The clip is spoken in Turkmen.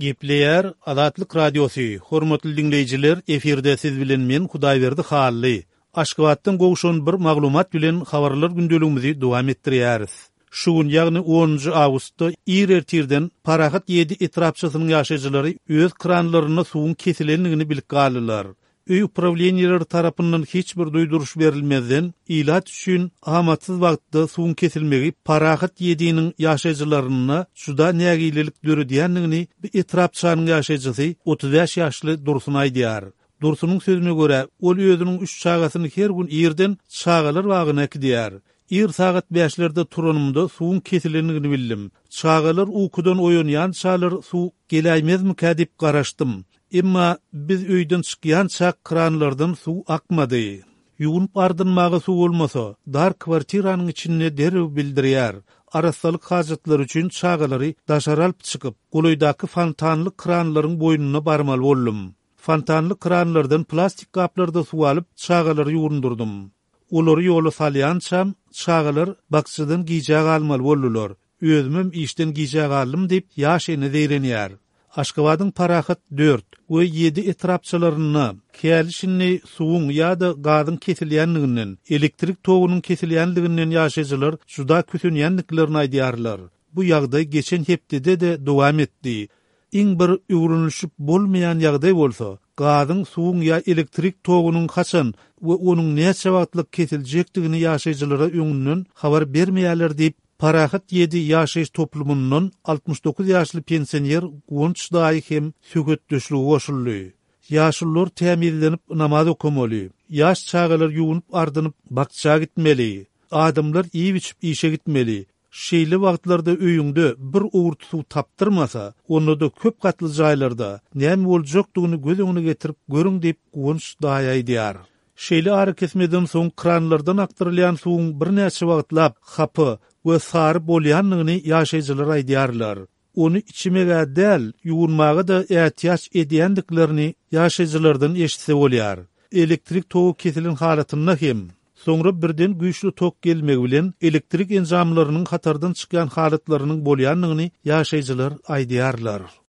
Gepleýär Azatlyk Radiosy, Hormatly diňleýjiler, efirde siz bilen men Hudaýberdi Hally. Aşgabatdan gowşan bir maglumat bilen habarlar gündeligimizi dowam etdirýäris. Şu gün, ýagny onunjy awgustda ir ertirden Parahat ýedi etrapçasynyň ýaşaýjylary öz kranlarynda suwuň kesilendigini bilip galdylar. Öý uprawleniýeleri tarapyndan hiç bir duýduryş berilmezden, ilat üçin amatsyz wagtda suwuň kesilmegi Parahat ýediniň ýaşaýjylarynda juda nägilelik döredýändigini bu etrapçanyň ýaşaýjysy 35 ýaşly Dursun aýdýar. Dursunyň sözüne görä, ol özüniň üç çagasyny her gün irden çagalar bagyna äkidýär. Ir sagat bäşlerde turanymda suwuň kesilendigini bildim. Çagalar ukudan oýanýançalar suw geläýmezmikä diýip garaşdym. Emma biz öýden çykýançak kranlardan suw akmady. Ýuwunyp-ardynmaga suw bolmasa, dar kwartiranyň içinde derrew bildirýär. Arassalyk hajatlary üçin çagalary daşary alyp çykyp, golaýdaky fontanly kranlaryň boýnuna barmaly boldum. Fontanly kranlardan plastik gaplarda suw alyp, çagalary ýuwundyrdym. Olary ýola salýançam, çagalar bakjadan gijä galmaly boldular. Özümem işden gijä galdym diýip, ýaş ene zeýrenýär. Aşgabadyň Parahat dört we ýedi etrapçalarynda häli-şindi suwuň ýa-da gazyň kesilýändiginden, elektrik togunyň kesilýändiginden ýaşaýjylar juda kösenýändiklerini aýdýarlar. Bu ýagdaý geçen hepdede-de dowam etdi. Iň bir öwrenilişip bolmaýan ýagdaý bolsa, gazyň, suwuň ýa elektrik togunyň haçan we onuň näçe wagtlyk kesiljekdigini ýaşaýjylara öňünden habar bermeýärler diýip, Parahat ýedi ýaşaýyş toplumyndan 69 ýaşly pensioner Guwanç daýy hem söhbetdeşlige goşuldy. Ýaşulular tämizlenip namaz okamaly, ýaş çagalar ýuwunyp-ardynyp bakja gitmeli, adamlar iýip-içip işe gitmeli, Şeýle wagtlarda öýüňde bir owurt suw tapdyrmasa, onda-da köp gatly jaýlarda näme boljakdygyny göz öňüne getirip görüň diýip, Guwanç daýy aýdýar. Şeýle arakesmeden soň kranlardan akdyrylýan suwuň birnäçe wagtlap hapa we sary bolýandygyny ýaşaýjylar aýdýarlar. Ony içmeg-ä däl, ýuwunmaga-da ätiýaç edýändiklerini ýaşaýjylardan eşitse bolýar. Elektrik togy kesilen halatynda hem, soňra birden güýçli tok gelmegi bilen elektrik enjamlarynyň hatardan çykýan halatlarynyň bolýandygyny ýaşaýjylar aýdýarlar.